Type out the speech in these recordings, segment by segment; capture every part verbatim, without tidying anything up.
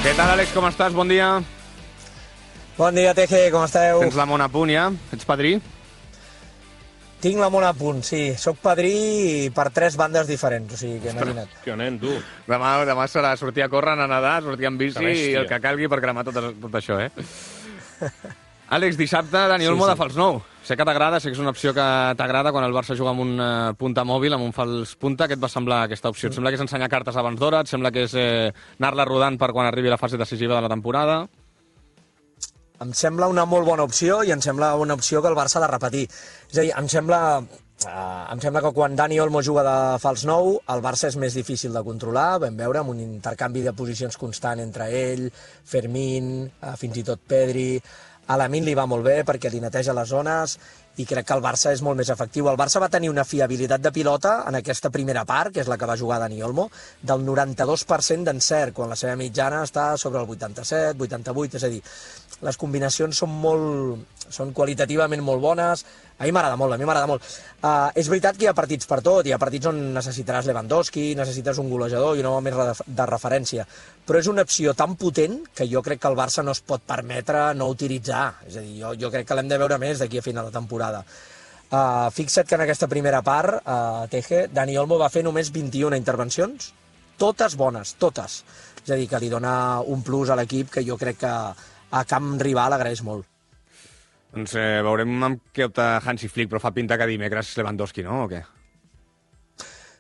Què tal, Àlex, com estàs? Bon dia. Bon dia, Teje, com esteu? Tens la mona a punt, ja? Ets padrí? Tinc la mona a punt, sí. Soc padrí per tres bandes diferents, o sigui que imagina't. Que nen, tu. Demà, demà serà sortir a córrer, anar a nedar, sortir amb bici i el que calgui per cremar tot, tot això, eh? Àlex, dissabte, Dani Olmo sí, sí. de fals nou. Sé que t'agrada, sé que és una opció que t'agrada quan el Barça juga amb un uh, punta mòbil, amb un fals punta. Què et va semblar aquesta opció? Et sembla que és ensenyar cartes abans d'hora? Et sembla que és eh, anar-la rodant per quan arribi la fase decisiva de la temporada? Em sembla una molt bona opció i em sembla una opció que el Barça ha de repetir. És a dir, em sembla, uh, em sembla que quan Dani Olmo juga de fals nou, el Barça és més difícil de controlar. Vam veure amb un intercanvi de posicions constant entre ell, Fermín, uh, fins i tot Pedri. A Lamine li va molt bé perquè li neteja les zones i crec que el Barça és molt més efectiu. El Barça va tenir una fiabilitat de pilota en aquesta primera part, que és la que va jugar Dani Olmo, del noranta-dos per cent d'encert, quan la seva mitjana està sobre el vuitanta-set, vuitanta-vuit, és a dir, les combinacions són molt, són qualitativament molt bones. A mi m'agrada molt, a mi m'agrada molt. Uh, és veritat que hi ha partits per tot, hi ha partits on necessitaràs Lewandowski, necessites un golejador i un home més de referència, però és una opció tan potent que jo crec que el Barça no es pot permetre no utilitzar. És a dir, jo, jo crec que l'hem de veure més d'aquí a final de temporada. Uh, fixa't que en aquesta primera part, uh, Teje, Dani Olmo va fer només vint-i-una intervencions, totes bones, totes. És a dir, que li dona un plus a l'equip que jo crec que a camp rival agraeix molt. Doncs eh, veurem amb què opta Hansi Flick, però fa pinta que dimecres Lewandowski, no? O què?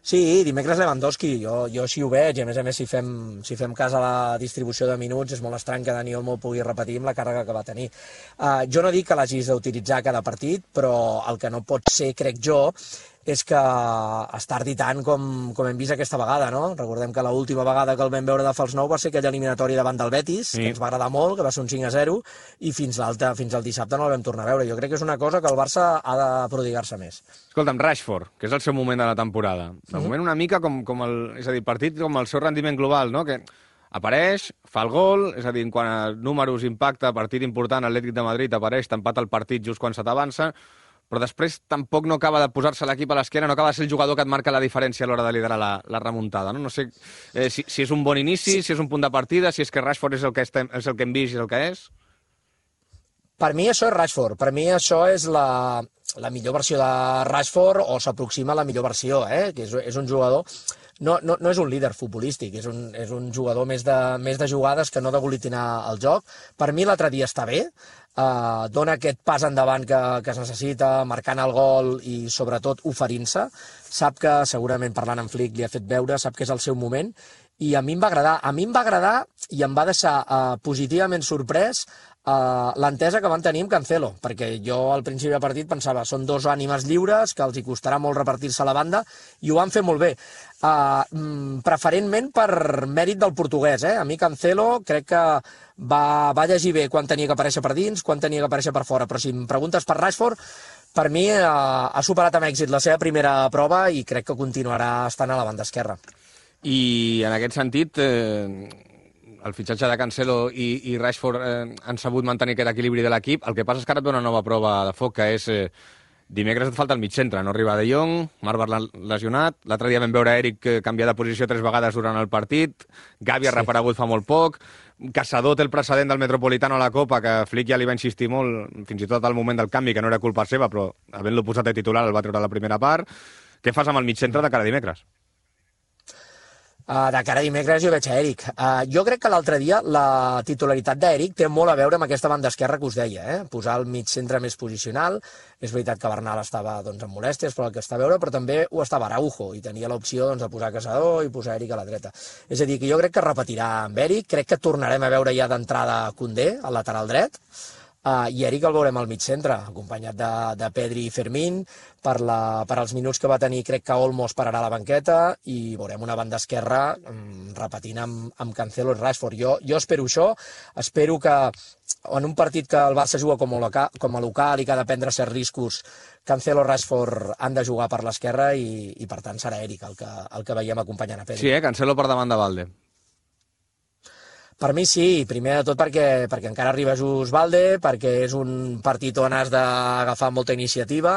Sí, dimecres Lewandowski, jo, jo així ho veig, i a més a més si fem, si fem cas a la distribució de minuts és molt estrany que Dani Olmo pugui repetir amb la càrrega que va tenir. Uh, jo no dic que l'hagis d'utilitzar cada partit, però el que no pot ser, crec jo, és que es tardi tant com, com hem vist aquesta vegada, no? Recordem que l'última vegada que el vam veure de fals nou va ser aquella eliminatòria davant del Betis, sí, que ens va agradar molt, que va ser un cinc a zero, i fins, fins al dissabte no el vam tornar a veure. Jo crec que és una cosa que el Barça ha de prodigar-se més. Escolta'm, Rashford, que és el seu moment de la temporada. De uh-huh. moment una mica com, com el, és a dir, partit com el seu rendiment global, no? Que apareix, fa el gol, és a dir, en quant a números, impacte, partit important, Atlètic de Madrid, apareix, t'empata el partit just quan se t'avança, però després tampoc no acaba de posar-se l'equip a l'esquena, no acaba de ser el jugador que et marca la diferència a l'hora de liderar la, la remuntada. No, no sé eh, si, si és un bon inici, sí. si és un punt de partida, si és que Rashford és el que, estem, és el que hem vist i el que és. Per mi això és Rashford, per mi això és la, la millor versió de Rashford, o s'aproxima a la millor versió, eh? Que és, és un jugador... No, no, no és un líder futbolístic, és un, és un jugador més de, més de jugades que no d'aglutinar el joc. Per mi l'altre dia està bé, eh, dona aquest pas endavant que, que es necessita, marcant el gol i sobretot oferint-se. Sap que, segurament parlant amb Flick, li ha fet veure, sap que és el seu moment, i a mi em va agradar. A mi em va agradar i em va deixar eh, positivament sorprès Uh, l'entesa que van tenir amb Cancelo, perquè jo al principi del partit pensava són dos ànimes lliures, que els hi costarà molt repartir-se a la banda, i ho van fer molt bé. Uh, mm, preferentment per mèrit del portuguès, eh? A mi Cancelo crec que va, va llegir bé quan tenia que aparèixer per dins, quan tenia que aparèixer per fora, però si em preguntes per Rashford, per mi uh, ha superat amb èxit la seva primera prova i crec que continuarà estant a la banda esquerra. I en aquest sentit... Eh... el fitxatge de Cancelo i, i Rashford eh, han sabut mantenir aquest equilibri de l'equip. El que passa és que ara et ve una nova prova de foc, que és eh, dimecres et falta el mig centre. No arriba De Jong, Marc lesionat. L'altre dia vam veure Eric eh, canviar de posició tres vegades durant el partit. Gavi ha reparegut fa molt poc. Caçador té el precedent del Metropolitano a la Copa, que Flick ja li va insistir molt, fins i tot al moment del canvi, que no era culpa seva, però havent-lo posat de titular el va treure a la primera part. Què fas amb el mig centre de cara a dimecres? Uh, de cara a dimecres jo veig a Eric. Uh, jo crec que l'altre dia la titularitat d'Eric té molt a veure amb aquesta banda esquerra que us deia, eh? Posar el mig centre més posicional. És veritat que Bernal estava doncs, amb molèsties, però el que està a veure, però també ho estava Araujo, i tenia l'opció doncs, de posar Caçador i posar Eric a la dreta. És a dir, que jo crec que repetirà amb Eric, crec que tornarem a veure ja d'entrada Koundé, al lateral dret, Uh, i Eric el veurem al mig centre, acompanyat de, de Pedri i Fermín. Per, la, per als minuts que va tenir, crec que Olmo es pararà a la banqueta i veurem una banda esquerra um, repetint amb, amb Cancelo i Rashford. Jo, jo espero això, espero que en un partit que el Barça juga com a local, com a local i que ha de prendre certs riscos, Cancelo i Rashford han de jugar per l'esquerra i, i per tant serà Eric el que, el que veiem acompanyant a Pedri. Sí, eh? Cancelo per davant de Valde. Per mi sí, primer de tot perquè, perquè encara arriba Just Valde, perquè és un partit on has d'agafar molta iniciativa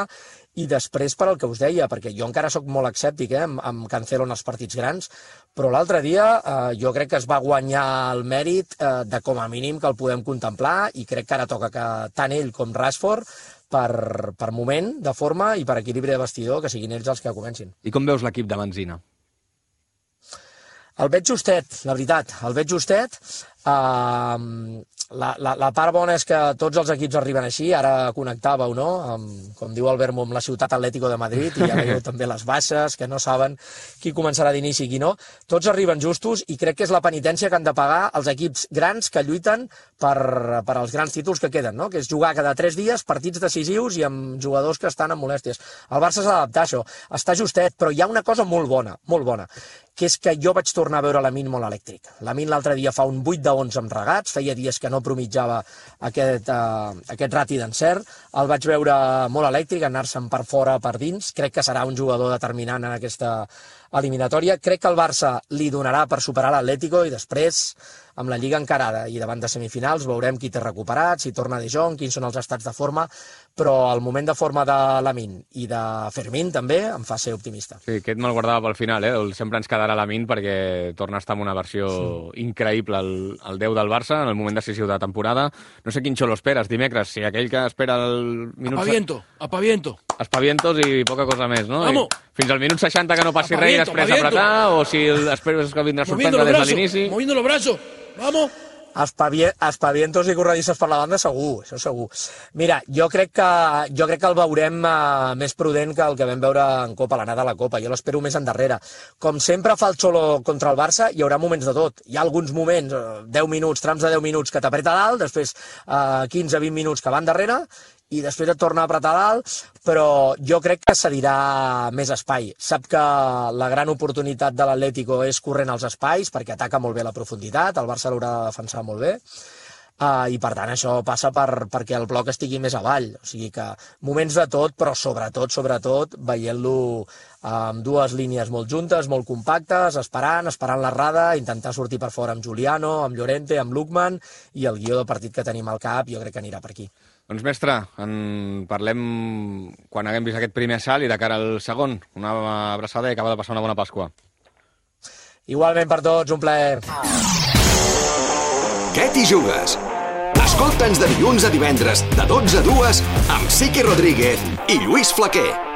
i després per al que us deia, perquè jo encara sóc molt escèptic eh, amb, amb Cancelo en els partits grans, però l'altre dia eh, jo crec que es va guanyar el mèrit eh, de com a mínim que el podem contemplar, i crec que ara toca que tant ell com Rashford, per, per moment de forma i per equilibri de vestidor, que siguin ells els que comencin. I com veus l'equip de Benzina? El veig justet, la veritat, el veig justet. Uh, la, la, la part bona és que tots els equips arriben així, ara connectàveu, no?, amb, com diu el Vermo, amb la ciutat Atlético de Madrid, i ja veieu també les baixes, que no saben qui començarà d'inici i qui no. Tots arriben justos, i crec que és la penitència que han de pagar els equips grans que lluiten per, per als grans títols que queden, no?, que és jugar cada tres dies partits decisius i amb jugadors que estan amb molèsties. El Barça s'ha d'adaptar a això, està justet, però hi ha una cosa molt bona, molt bona, que és que jo vaig tornar a veure Lamine molt elèctric. Lamine l'altre dia fa un vuit de onze amb regats, feia dies que no promitjava aquest, uh, aquest rati d'encert, el vaig veure molt elèctric, anar-se'n per fora, per dins, crec que serà un jugador determinant en aquesta eliminatòria. Crec que el Barça li donarà per superar l'Atlético, i després, amb la Lliga encarada i davant de semifinals, veurem qui té recuperat, si torna De Jong, quins són els estats de forma, però el moment de forma de Lamine i de Fermín també em fa ser optimista. Sí, aquest me'l guardava pel final, eh? Sempre ens quedarà Lamine perquè torna a estar en una versió sí. increïble, el, el deu del Barça, en el moment decisiu de temporada. No sé quin xolo esperes dimecres, si aquell que espera el minut... Apaviento, apaviento. Espavientos i poca cosa més, no? Vamos. I fins al minut seixanta que no passi res i després apretar, o si el, esperes que vindrà a sorprendre des de l'inici... Moviendo los brazos, vamos. Espavientos i corredisses per la banda, segur, això segur. Mira, jo crec que, jo crec que el veurem uh, més prudent que el que vam veure en Copa, l'anada a la Copa. Jo l'espero més endarrere. Com sempre fa el xolo contra el Barça, hi haurà moments de tot. Hi ha alguns moments, uh, deu minuts, trams de deu minuts que t'apreta dalt, després uh, quinze a vint minuts que van darrere, i després et torna a apretar dalt, però jo crec que cedirà més espai. Sap que la gran oportunitat de l'Atlético és corrent als espais, perquè ataca molt bé la profunditat, el Barça l'haurà de defensar molt bé, uh, i per tant això passa per, perquè el bloc estigui més avall. O sigui que moments de tot, però sobretot, sobretot, veient-lo amb dues línies molt juntes, molt compactes, esperant, esperant l'errada, intentar sortir per fora amb Juliano, amb Llorente, amb Lookman, i el guió del partit que tenim al cap jo crec que anirà per aquí. Doncs, mestre, en parlem quan haguem vist aquest primer assalt i de cara al segon. Una abraçada i acaba de passar una bona Pasqua. Igualment per tots, un plaer. Què t'hi jugues? Escolta'ns de dilluns a divendres, de dotze a dues, amb Siqui Rodríguez i Lluís Flaquer.